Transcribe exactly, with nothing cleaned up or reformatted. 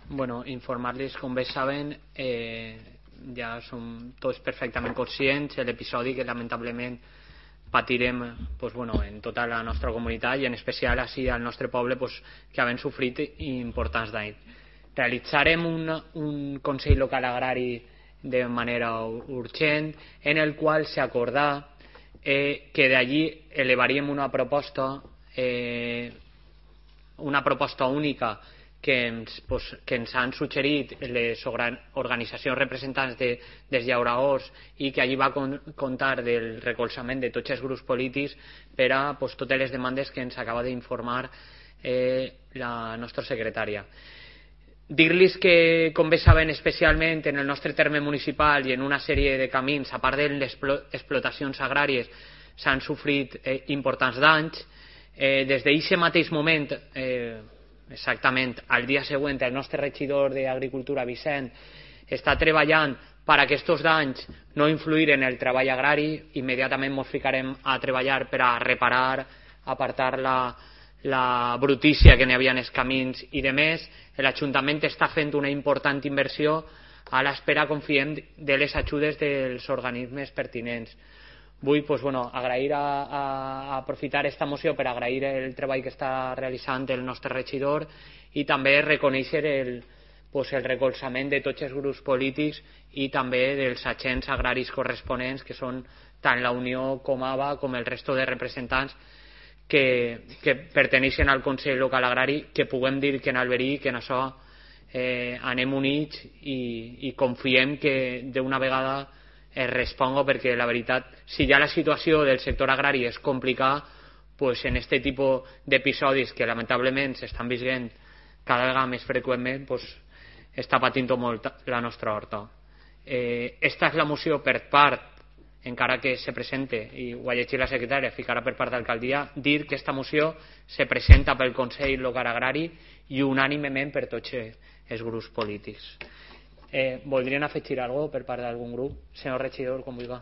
Bueno, informar-los, com bé saben, eh, ja som tots perfectament conscients de l'episodi que lamentablement patirem pues, bueno, en tota la nostra comunitat i en especial així al nostre poble pues, que havem sofrit importants danys. Realitzarem un, un Consell Local Agrari de manera urgent en el qual s'acordà eh, que d'allí elevaríem una proposta eh, una proposta única que ens, pues, que ens han suggerit les organitzacions representants de, dels llauradors i que allí va con, comptar del recolzament de tots els grups polítics per a pues, totes les demandes que ens acaba d'informar eh, la nostra secretària. Dir-los que, com bé saben, especialment en el nostre terme municipal i en una sèrie de camins, a part de les explotacions agràries, s'han sofrit eh, importants danys. Eh, des d'aquest mateix moment, eh, exactament al dia següent, el nostre regidor d'Agricultura, Vicent, està treballant per a aquests danys no influir en el treball agrari. Immediatament ens ficarem a treballar per a reparar, apartar la, la brutícia que n'hi havia en els camins i de més. L'Ajuntament està fent una important inversió a l'espera, confiem, de les ajudes dels organismes pertinents. Vull pues, bueno, agrair a, a, a aprofitar aquesta moció per agrair el treball que està realitzant el nostre regidor i també reconèixer el, pues, el recolzament de tots els grups polítics i també dels agents agraris corresponents, que són tant la Unió com A B A com el resto de representants que, que perteneixen al Consell Local Agrari, que puguem dir que en Alberí, que en això eh, anem units i, i confiem que d'una vegada es responga, perquè la veritat, si ja la situació del sector agrari és complicada, pues en aquest tipus d'episodis que lamentablement s'estan vivint cada vegada més freqüentment, pues està patint molt la nostra horta. Eh, esta és la moció per part, encara que se presente, i ho ha llegit la secretària, ficarà per part d'alcaldia, dir que esta moció se presenta pel Consell Local Agrari i unànimement per tots els grups polítics. Eh, voldrien afegir alguna cosa per part d'algun grup? Senyor regidor, com vulgui.